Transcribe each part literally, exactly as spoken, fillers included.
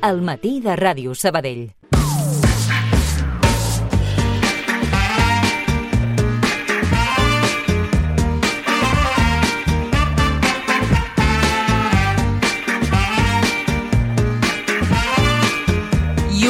al matí de Ràdio Sabadell.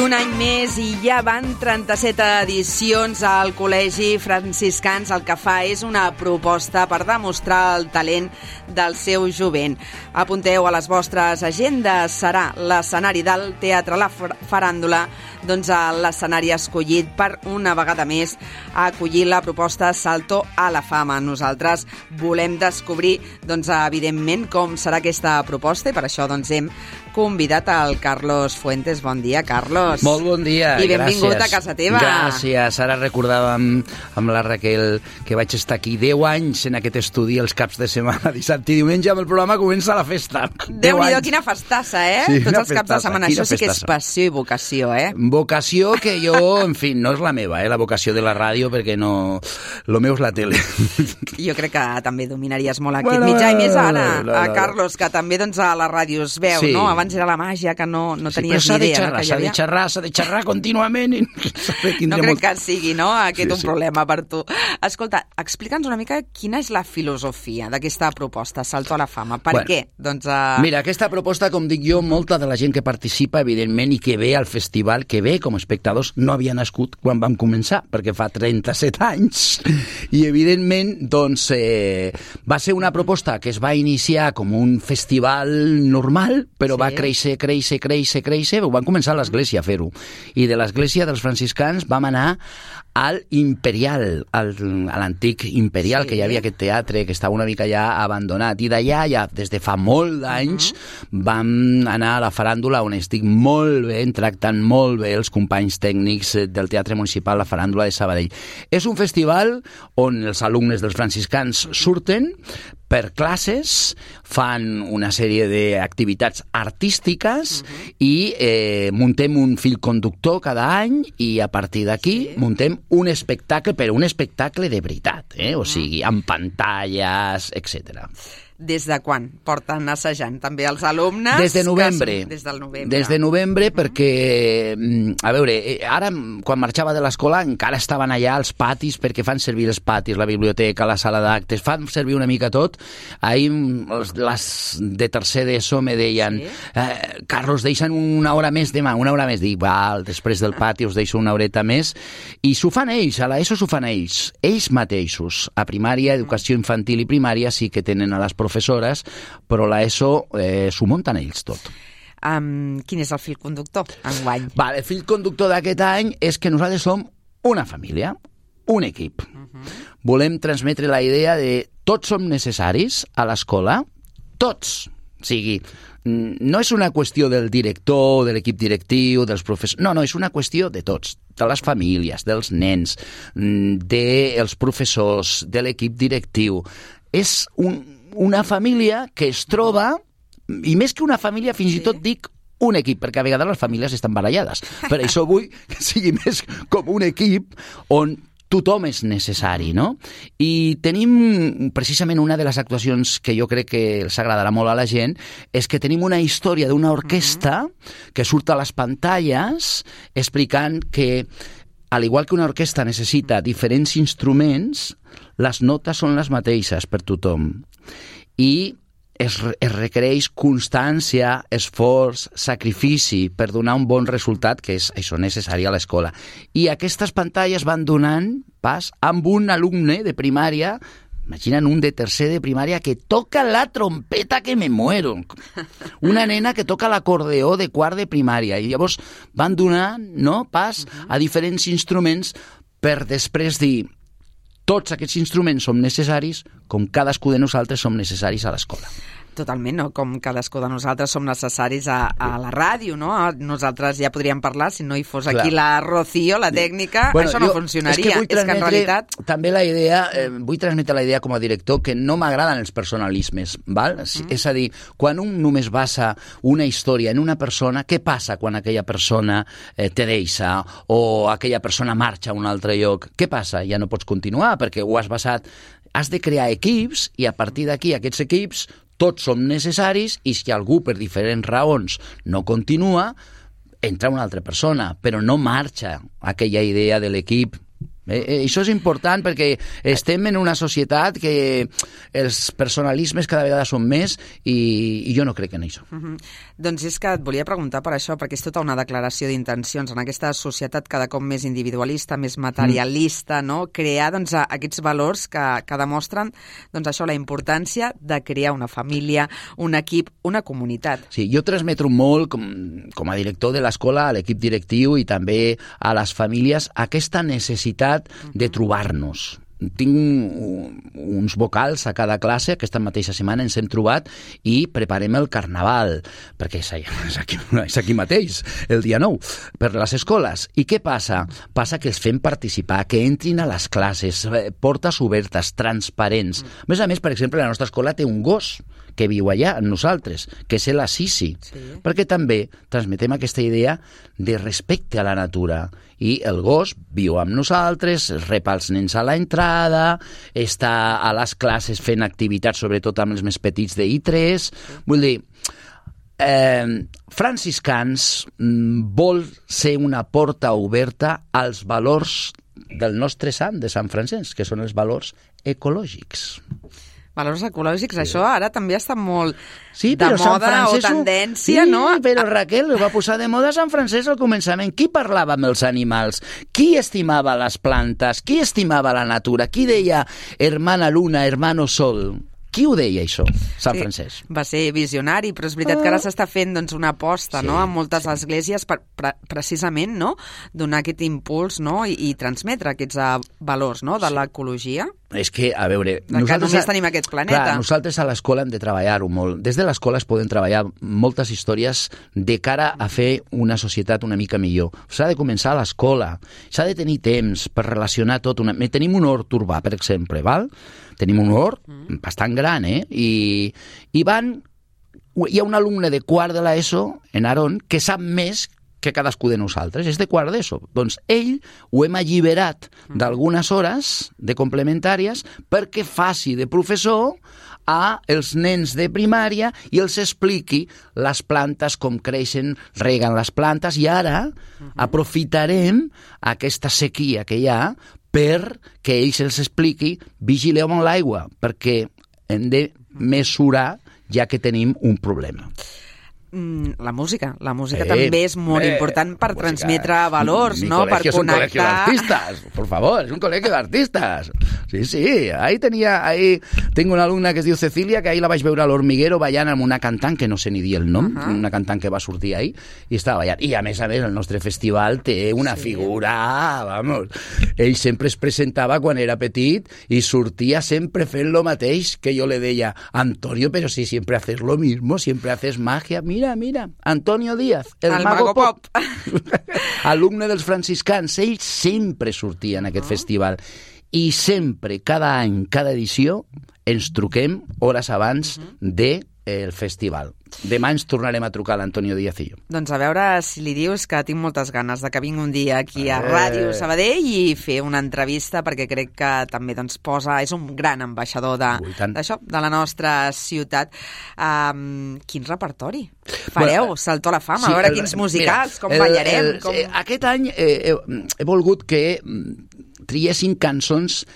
Un any més i ja van trenta-set edicions al Col·legi Franciscans. El que fa és una proposta per demostrar el talent del seu jovent. Apunteu a les vostres agendes. Serà l'escenari del Teatre La Faràndula, doncs l'escenari escollit per una vegada més acollir la proposta Salto a la Fama. Nosaltres volem descobrir, doncs, evidentment, com serà aquesta proposta i per això doncs, hem convidat al Carlos Fuentes. Bon dia, Carlos. Molt bon dia, I benvingut gràcies. a casa teva. Gràcies. Ara recordàvem amb la Raquel que vaig estar aquí deu anys en aquest estudi els caps de setmana, dissabte i diumenge, amb el programa Comença la Festa. Déu-n'hi-do, quina festassa, eh? Sí, Tots els festassa, caps de setmana. Això sí que és festassa. passió i vocació, eh? Vocació que jo, en fi, no és la meva, eh? La vocació de la ràdio, perquè no... Lo meu és la tele. Jo crec que també dominaries molt aquest Bueno, mitjà, i més ara, no, no, a no. Carlos, que també doncs, a la ràdio es veu, Sí. no? Abans era la màgia, que no, no Sí, tenies però s'ha ni de idea. xerrar, no, que hi s'ha de havia. xerrar, s'ha de xerrar contínuament i No crec que sigui, no?, aquest Sí, un sí. problema per tu. Escolta, explica'ns una mica quina és la filosofia d'aquesta proposta, Salto a la Fama. Per Bueno, què? Doncs, uh... Mira, aquesta proposta, com dic jo, molta de la gent que participa, evidentment, i que ve al festival, que ve com a espectadors, no havia nascut quan vam començar, perquè fa trenta-set anys. I, evidentment, doncs, eh, va ser una proposta que es va iniciar com un festival normal, però Sí. va créixer, créixer, créixer, créixer. Ho van començar a l'església a fer-ho. I de l'església dels franciscans vam anar al Imperial, al, a l'antic Imperial, Sí. que hi havia aquest teatre que estava una mica ja abandonat. I d'allà, ja des de fa molt d'anys, uh-huh. vam anar a la Faràndula, on estic molt bé, tractant molt bé els companys tècnics del Teatre Municipal La Faràndula de Sabadell. És un festival on els alumnes dels franciscans surten per classes, fan una sèrie d'activitats artístiques uh-huh. i eh, muntem un fil conductor cada any i a partir d'aquí sí. muntem un espectacle, però un espectacle de veritat, eh? O sigui, amb pantalles, etcètera. Des de quan porten assajant també els alumnes? Des de novembre. Són... Des del novembre. Des de novembre, uh-huh. perquè, a veure, ara, quan marxava de l'escola, encara estaven allà els patis, perquè fan servir els patis, la biblioteca, la sala d'actes, fan servir una mica tot. Ahir, les de tercer d'ESO me deien, sí? eh, Carlos, deixen una hora més demà, una hora més. Dic, val, després del pati us deixo una horeta més. I s'ho fan ells, a l'ESO s'ho fan ells, ells mateixos. A primària, educació infantil i primària sí que tenen a les professores professores, però l'ESO eh, s'ho munten ells tot. Um, quin és el fil conductor enguany? Vale, el fil conductor d'aquest any és que nosaltres som una família, un equip. Uh-huh. Volem transmetre la idea de tots som necessaris a l'escola, tots. O sigui, no és una qüestió del director, de l'equip directiu, dels professors... No, no, és una qüestió de tots, de les famílies, dels nens, dels professors, de l'equip directiu. És un... una família que es troba, i més que una família, fins sí. i tot dic un equip, perquè a vegades les famílies estan barallades. Per això vull que sigui més com un equip on tothom és necessari, no? I tenim, precisament, una de les actuacions que jo crec que els agradarà molt a la gent, és que tenim una història d'una orquestra uh-huh. que surt a les pantalles explicant que, al igual que una orquestra necessita diferents instruments, les notes són les mateixes per tothom. I es, es requereix constància, esforç, sacrifici per donar un bon resultat, que és això necessari a l'escola. I aquestes pantalles van donant pas amb un alumne de primària, imagina'n un de tercer de primària que toca la trompeta que me muero. Una nena que toca l'acordeó de quart de primària. I llavors van donant, no, pas a diferents instruments per després dir tots aquests instruments som necessaris com cadascú de nosaltres som necessaris a l'escola. Totalment, no? Com cadascú de nosaltres som necessaris a, a la ràdio, no? Nosaltres ja podríem parlar, si no hi fos aquí Clar. la Rocío, la tècnica, bueno, això no jo, funcionaria. És que, és que en realitat... També la idea, eh, vull transmetre la idea com a director que no m'agraden els personalismes, val? Mm. És a dir, quan un només basa una història en una persona, què passa quan aquella persona eh, te deixa o aquella persona marxa a un altre lloc? Què passa? Ja no pots continuar perquè ho has basat... Has de crear equips i a partir d'aquí aquests equips tots som necessaris i si algú per diferents raons no continua, entra una altra persona, però no marxa aquella idea de l'equip. Eh, eh, això és important perquè estem en una societat que els personalismes cada vegada són més i, i jo no crec en això. Uh-huh. Doncs és que et volia preguntar per això, perquè és tota una declaració d'intencions en aquesta societat cada cop més individualista, més materialista, mm. no? Crear doncs, aquests valors que, que demostren doncs, això, la importància de crear una família, un equip, una comunitat. Sí, jo transmeto molt com, com a director de l'escola a l'equip directiu i també a les famílies aquesta necessitat de trobar-nos. Tinc un, uns vocals a cada classe, aquesta mateixa setmana ens hem trobat i preparem el carnaval, perquè és, és, aquí, és aquí mateix, el dia nou, per les escoles. I què passa? Passa que els fem participar, que entrin a les classes, portes obertes, transparents. A més a més, per exemple, la nostra escola té un gos que viu allà amb nosaltres, que és la Sisi, sí. Perquè també transmetem aquesta idea de respecte a la natura. I el gos viu amb nosaltres, rep els nens a l'entrada, està a les classes fent activitats, sobretot amb els més petits de I tres. Vull dir, eh, franciscans vol ser una porta oberta als valors del nostre sant, de Sant Francesc, que són els valors ecològics. Valors ecològics, sí. Això ara també està molt sí, de moda o tendència, sí, no? Sí, però Raquel, ho va posar de moda Sant Francesc al començament. Qui parlava amb els animals? Qui estimava les plantes? Qui estimava la natura? Qui deia hermana luna, hermano sol? Qui ho deia, això, Sant sí, Francesc? Va ser visionari, però és veritat que ara s'està fent doncs, una aposta sí, no? En moltes sí. esglésies per, per, precisament no? Donar aquest impuls no? I, i transmetre aquests uh, valors no? De sí. l'ecologia. És que, a veure... De que només tenim aquest planeta. Clar, nosaltres a l'escola hem de treballar-ho molt. Des de l'escola es poden treballar moltes històries de cara a fer una societat una mica millor. S'ha de començar a l'escola, s'ha de tenir temps per relacionar tot. Una... Tenim un hort urbà, per exemple, val? Tenim un hort mm. bastant gran, eh? I, i van... Hi ha un alumne de quart de l'ESO, en Aarón, que sap més que cadascú de nosaltres, és de quart d'ESO. Doncs ell ho hem alliberat d'algunes hores de complementàries perquè faci de professor a els nens de primària i els expliqui les plantes, com creixen, reguen les plantes, i ara aprofitarem aquesta sequia que hi ha perquè ells els expliqui vigileu amb l'aigua, perquè hem de mesurar ja que tenim un problema. La música. La música eh, també és molt eh, important per música, transmetre valors, mi no? Per es connectar... un colegio de artistas, por favor, es un colegio de artistas. Sí, sí, ahí tenía, ahí tengo una alumna que es diu Cecilia, que ahí la vaig veure a l'Hormiguero ballant amb una cantant que no sé ni dir el nom, uh -huh. una cantant que va sortir ahí i estava ballant. I a més a més el nostre festival té una sí. figura, vamos, ell sempre es presentava quan era petit i sortia sempre fent lo mateix, que jo le deia, Antonio, pero si siempre haces lo mismo, siempre haces magia, mira, Mira, mira, Antonio Díaz, el, el Mago, Mago Pop. Pop. Alumne dels franciscans, ell sempre sortia en aquest oh. festival. I sempre, cada any, cada edició, ens truquem hores abans uh -huh. de el festival. Demà ens tornarem a trucar l'Antonio Díaz i jo. Doncs a veure si li dius que tinc moltes ganes de que vingui un dia aquí a Ràdio Sabadell i fer una entrevista, perquè crec que també doncs, posa, és un gran ambaixador d'això, de, de la nostra ciutat. Um, quin repertori fareu? Bueno, Saltó a la fama, sí, a veure el, quins musicals, mira, com el, ballarem. El, com... Aquest any eh, he, he volgut que triessin cançons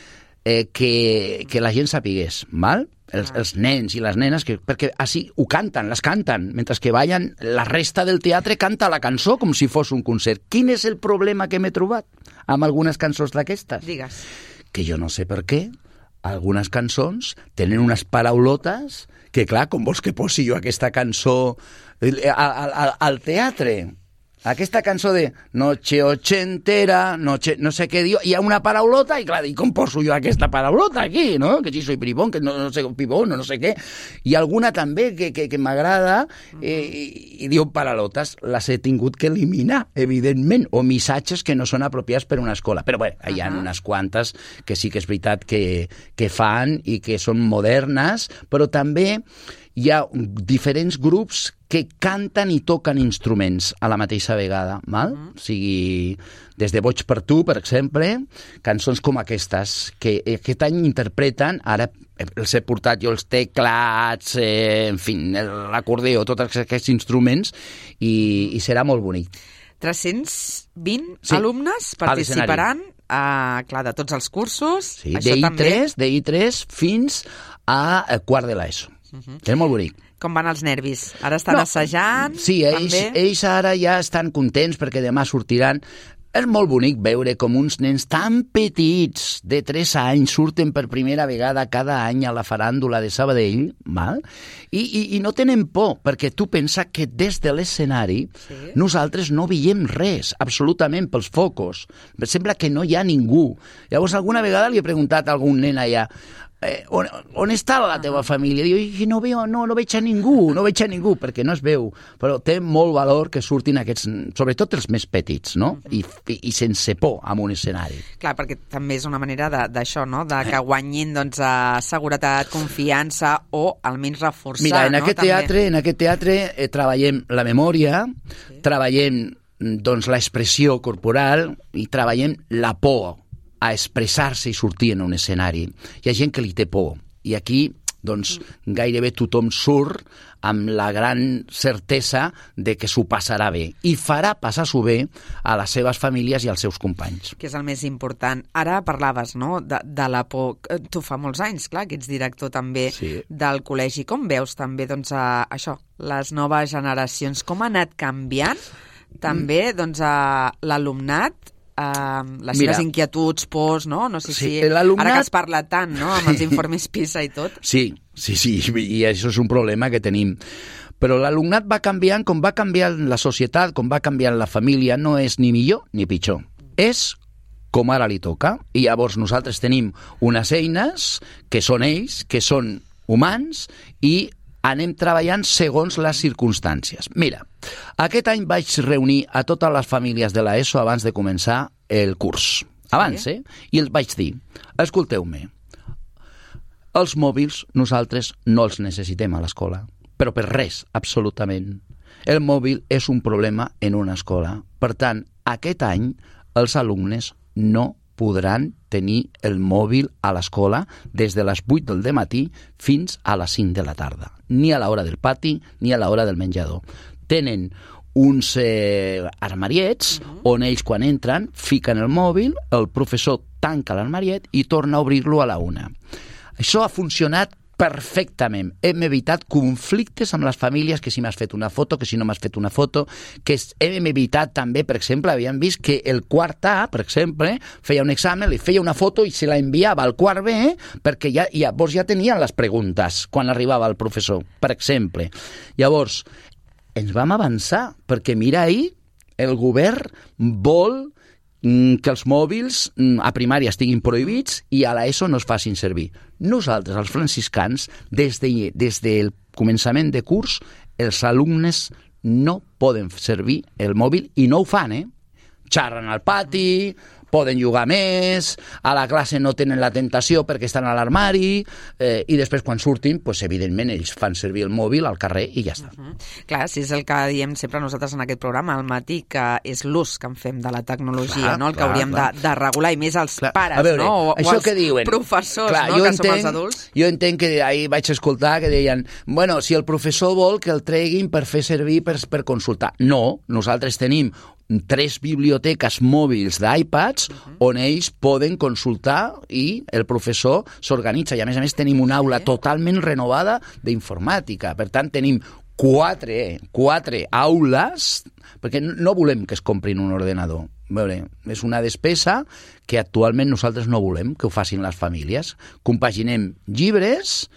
eh, que, que la gent sapigués, val? Els, els nens i les nenes, que, perquè així ho canten, les canten, mentre que ballen, la resta del teatre canta la cançó com si fos un concert. Quin és el problema que m'he trobat amb algunes cançons d'aquestes? Digues. Que jo no sé per què algunes cançons tenen unes paraulotes que, clar, com vols que posi jo aquesta cançó al, al, al teatre? Aquesta cançó de Noche ochentera, noche, no sé què diu, hi ha una paraulota i clar, i com poso jo aquesta paraulota aquí, no? Que si soy bribón, que no, no sé, pibón, no, no sé què. I alguna també que, que, que m'agrada eh, i, i diu paraulotes, les he tingut que eliminar, evidentment, o missatges que no són apropiats per una escola. Però bé, hi ha uh-huh. unes quantes que sí que és veritat que, que fan i que són modernes, però també hi ha diferents grups que canten i toquen instruments a la mateixa vegada, val? Uh-huh. O sigui, des de Boig per tu, per exemple, cançons com aquestes, que aquest any interpreten, ara els he portat jo els teclats, eh, en fi, l'acordeó, tots aquests instruments, i, i serà molt bonic. tres-cents vint sí, alumnes participaran a, clar, de tots els cursos. Sí, això de I tres, també... de I tres fins a quart de l'ESO. Uh-huh. És molt bonic. Com van els nervis? Ara estan no, assajant? Sí, ells, ells ara ja estan contents perquè demà sortiran. És molt bonic veure com uns nens tan petits, de tres anys, surten per primera vegada cada any a la faràndula de Sabadell, val? I, i, i no tenen por, perquè tu pensa que des de l'escenari sí. nosaltres no veiem res, absolutament, pels focus. Sembla que no hi ha ningú. Llavors, alguna vegada li he preguntat a algun nen allà, Eh, on, on està la teva família? Diu, no, veo, no, no veig a ningú, no veig a ningú, perquè no es veu. Però té molt valor que surtin aquests, sobretot els més petits, no? I, i, i sense por en un escenari. Clar, perquè també és una manera d'això, no? De que guanyin doncs, a seguretat, confiança o almenys reforçar. Mira, en no? aquest teatre, en aquest teatre eh, treballem la memòria, sí. treballem doncs, l'expressió corporal i treballem la por a expressar-se i sortir en un escenari. Hi ha gent que li té por. I aquí, doncs, gairebé tothom surt amb la gran certesa de que s'ho passarà bé. I farà passar-s'ho bé a les seves famílies i als seus companys. Que és el més important. Ara parlaves, no?, de, de la por. Tu fa molts anys, clar, que ets director també sí. del col·legi. Com veus també, doncs, a, això, les noves generacions? Com ha anat canviant també, doncs, a l'alumnat? Uh, les Mira, seves inquietuds, pors, no? No sé sí, si... Ara que es parla tant, no?, amb els informes PISA i tot. Sí, sí, sí, i això és un problema que tenim. Però l'alumnat va canviant com va canviant la societat, com va canviant la família, no és ni millor ni pitjor. És com ara li toca. I llavors nosaltres tenim unes eines que són ells, que són humans, i anem treballant segons les circumstàncies. Mira, aquest any vaig reunir a totes les famílies de l'ESO abans de començar el curs. Abans, sí? eh? I els vaig dir, escolteu-me, els mòbils nosaltres no els necessitem a l'escola, però per res, absolutament. El mòbil és un problema en una escola. Per tant, aquest any els alumnes no podran tenir el mòbil a l'escola des de les vuit del dematí fins a les cinc de la tarda. Ni a l'hora del pati, ni a l'hora del menjador. Tenen uns eh, armariets uh-huh. on ells quan entren fiquen el mòbil, el professor tanca l'armariet i torna a obrir-lo a la una. Això ha funcionat perfectament. Hem evitat conflictes amb les famílies, que si m'has fet una foto, que si no m'has fet una foto, que hem evitat també, per exemple, havíem vist que el quart A, per exemple, feia un examen, li feia una foto i se la enviava al quart B, perquè ja, llavors ja tenien les preguntes quan arribava el professor, per exemple. Llavors, ens vam avançar, perquè mira ahir, el govern vol que els mòbils a primària estiguin prohibits i a l'ESO no es facin servir. Nosaltres, els franciscans, des, de, des del començament de curs, els alumnes no poden servir el mòbil i no ho fan, eh? Xarren al pati, poden jugar més, a la classe no tenen la tentació perquè estan a l'armari, eh, i després quan surtin, pues, evidentment, ells fan servir el mòbil al carrer i ja està. Uh-huh. Clar, si és el que diem sempre nosaltres en aquest programa, al matí, que és l'ús que en fem de la tecnologia, clar, no? El que clar, hauríem de, de regular, i més els clar. pares, veure, no? O, o els que diuen, professors, clar, no? Que entenc, som els adults. Jo entenc que ahir vaig escoltar que deien, bueno, si el professor vol que el treguin per fer servir per, per consultar. No, nosaltres tenim tres biblioteques mòbils d'iPads uh-huh. on ells poden consultar i el professor s'organitza. I a més a més tenim una aula totalment renovada d'informàtica. Per tant, tenim quatre, quatre aules, perquè no volem que es comprin un ordenador. Veure, és una despesa que actualment nosaltres no volem que ho facin les famílies. Compaginem llibres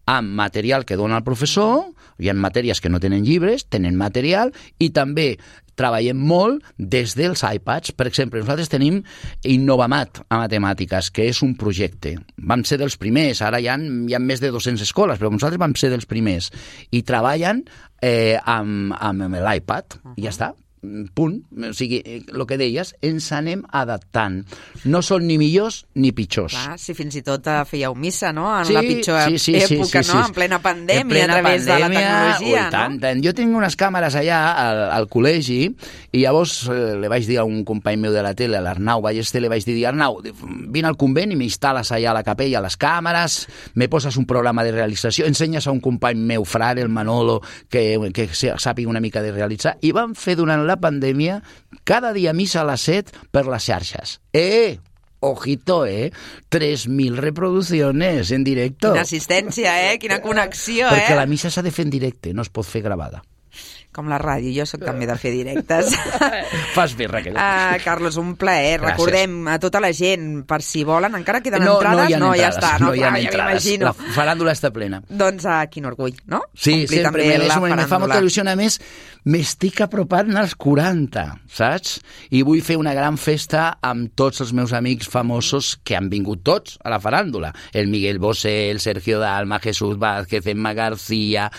amb material que dona el professor, hi ha matèries que no tenen llibres, tenen material, i també treballem molt des dels iPads. Per exemple, nosaltres tenim Innovamat a matemàtiques, que és un projecte. Vam ser dels primers, ara hi ha, hi ha més de dues-centes escoles, però nosaltres vam ser dels primers. I treballen eh, amb, amb l'iPad, uh-huh. i ja està. Punt. O sigui, el que deies, ens anem adaptant. No són ni millors ni pitjors. Clar, si fins i tot fèieu missa, no? En sí, la pitjor sí, sí, època, sí, sí, no? En plena pandèmia, en plena a través pandèmia, de la tecnologia, ui, tant, no? Tant. Jo tinc unes càmeres allà al, al col·legi i llavors eh, li vaig dir a un company meu de la tele, a l'Arnau Ballester, li vaig dir, Arnau, vine al convent i m'instal·les allà a la capella les càmeres, me poses un programa de realització, ensenyes a un company meu, frare, el Manolo, que, que sàpiga una mica de realitzar, i vam fer durant la pandèmia, cada dia missa a les set per les xarxes. Eh, ojito, eh? tres mil reproducciones en directo. Quina assistència, eh? Quina connexió, Perquè eh? la missa s'ha de fer en directe, no es pot fer gravada. Com la ràdio, jo sóc també de fer directes. Fas bé, Raquel. Uh, Carlos, un plaer. Gràcies. Recordem a tota la gent, per si volen, encara queden no, entrades? No, hi ha no, entrades, ja està. No, no hi ha clar, entrades. Ja la faràndula està plena. Doncs uh, quin orgull, no? Sí, Complir sempre. també Me, la me fa molta il·lusió. A més, m'estic apropant als quaranta, saps? I vull fer una gran festa amb tots els meus amics famosos que han vingut tots a la faràndula. El Miguel Bosé, el Sergio Dalma, Jesús Vázquez, Emma García...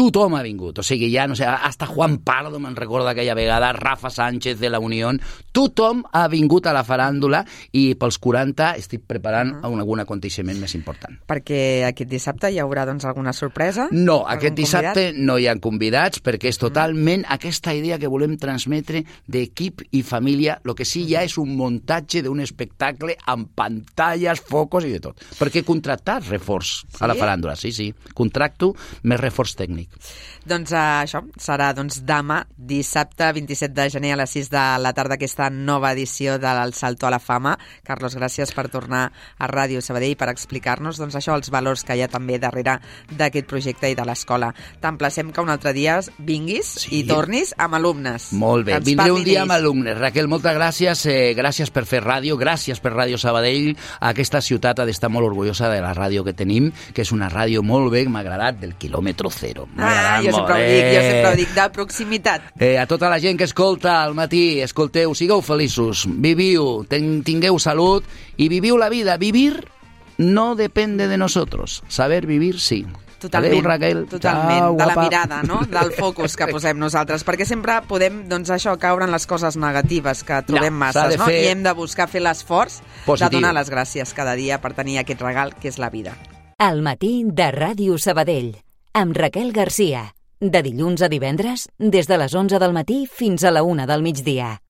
Tothom ha vingut. O sigui, ja, no sé, hasta Juan Pardo, me'n recorda aquella vegada, Rafa Sánchez de la Unión... Tothom ha vingut a la faràndula i pels quaranta estic preparant uh -huh. algun aconteixement més important. Perquè aquest dissabte hi haurà, doncs, alguna sorpresa? No, aquest dissabte convidat? no hi ha convidats perquè és totalment aquesta idea que volem transmetre d'equip i família. Lo que sí ja és un muntatge d'un espectacle amb pantalles, focos i de tot. Perquè contractar reforç sí? a la faràndula, sí, sí. Contracto més reforç tècnic. Doncs uh, això serà doncs, demà, dissabte vint-i-set de gener a les sis de la tarda, aquesta nova edició del Salto a la Fama. Carlos, gràcies per tornar a Ràdio Sabadell per explicar-nos doncs, això, els valors que hi ha també darrere d'aquest projecte i de l'escola. T'emplacem que un altre dia vinguis sí. i tornis amb alumnes. Molt bé, vindré un dia amb alumnes. Raquel, moltes gràcies. Eh, gràcies per fer ràdio, gràcies per Ràdio Sabadell. Aquesta ciutat ha d'estar molt orgullosa de la ràdio que tenim, que és una ràdio molt bé, m'ha agradat, del quilòmetre zero. Ah, jo sempre ho dic, jo sempre ho dic, de proximitat. Eh, a tota la gent que escolta al matí, escolteu, sigueu feliços, viviu, ten, tingueu salut i viviu la vida. Vivir no depende de nosotros, saber vivir sí. Totalment, Adeu, Raquel. totalment. Ciao, de la guapa. mirada, no? Del focus que posem nosaltres, perquè sempre podem, doncs això, caure en les coses negatives que trobem no, masses, no? fer... I hem de buscar fer l'esforç Positiu. de donar les gràcies cada dia per tenir aquest regal que és la vida. Al matí de Ràdio Sabadell, amb Raquel Garcia. De dilluns a divendres, des de les onze del matí fins a la una del migdia.